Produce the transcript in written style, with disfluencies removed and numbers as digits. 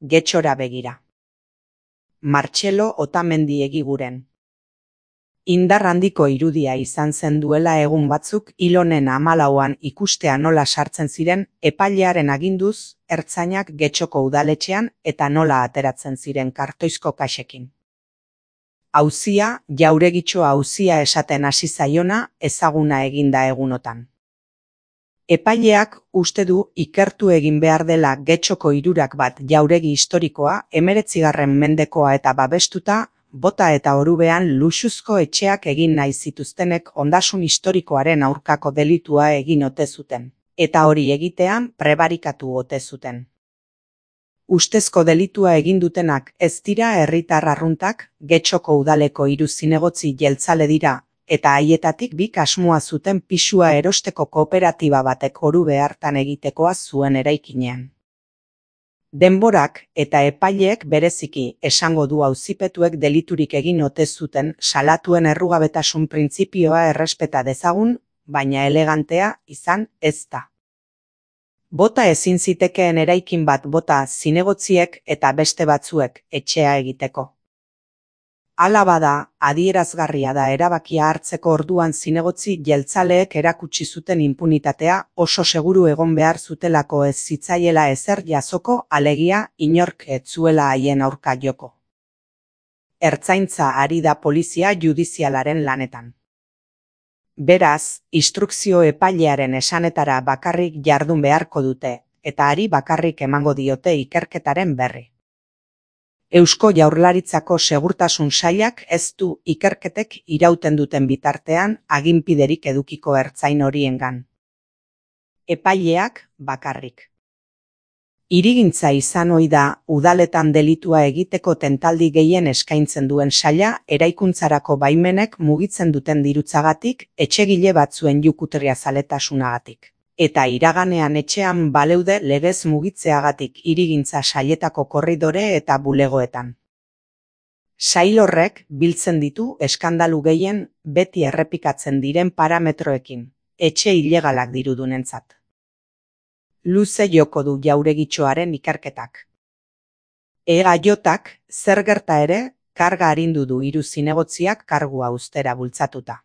Getxora begira. Martxelo Otamendi Egiguren. Indar handiko irudia izan zen duela egun batzuk hil honen 14an ikustea nola sartzen ziren epailearen aginduz ertzainak Getxoko udaletxean eta nola ateratzen ziren kartoizko kaxekin. Auzia, Jauregitxo auzia esaten hasi zaiona ezaguna eginda egunotan. Epaileak uste du ikertu egin behar dela Getxoko hirurak bat jauregi historikoa 19. mendekoa eta babestuta bota eta orubean luxuzko etxeak egin nahi zituztenek ondasun historikoaren aurkako delitua egin ote zuten, eta hori egitean prebarikatu ote zuten. Ustezko delitua egin dutenak ez dira herritar arruntak, Getxoko udaleko 3 zinegotzi jeltzale dira, eta haietatik 2 asmoa zuten pisua erosteko kooperatiba batek orube hartan egitekoa zuen eraikinean. Denborak eta epaileek bereziki esango du auzipetuek deliturik egin ote zuten salatuen errugabetasun printzipioa errespeta dezagun, baina elegantea izan ez da. Bota ezin zitekeen eraikin bat bota zinegotziek eta beste batzuek etxea egiteko. Hala bada, adierazgarria da erabakia hartzeko orduan zinegotzi jeltzaleek erakutsi zuten inpunitatea oso seguru egon behar zutelako ez zitzaiela ezer jasoko alegia inork ez zuela haien aurka joko. Ertzaintza ari da polizia judizialaren lanetan. Beraz, instrukzio epailearen esanetara bakarrik jardun beharko dute, eta hari bakarrik emango diote ikerketaren berri. Eusko Jaurlaritzako Segurtasun Sailak ez du ikerketek irauten duten bitartean aginpiderik edukiko ertzain horiengan. Epaileak bakarrik. Hirigintza izan ohi da udaletan delitua egiteko tentaldi gehien eskaintzen duen saila eraikuntzarako baimenek mugitzen duten dirutzagatik etxegile batzuen jukutria zaletasunagatik. Eta iraganean etxean baleude legez mugitzeagatik hirigintza sailetako korridore eta bulegoetan. Sail horrek biltzen ditu eskandalu gehien beti errepikatzen diren parametroekin, etxe ilegalak dirudunentzat. Luze joko du Jauregitxoaren ikerketak. EAJak zer gerta ere karga arindu du 3 zinegotziak kargua uztera bultzatuta.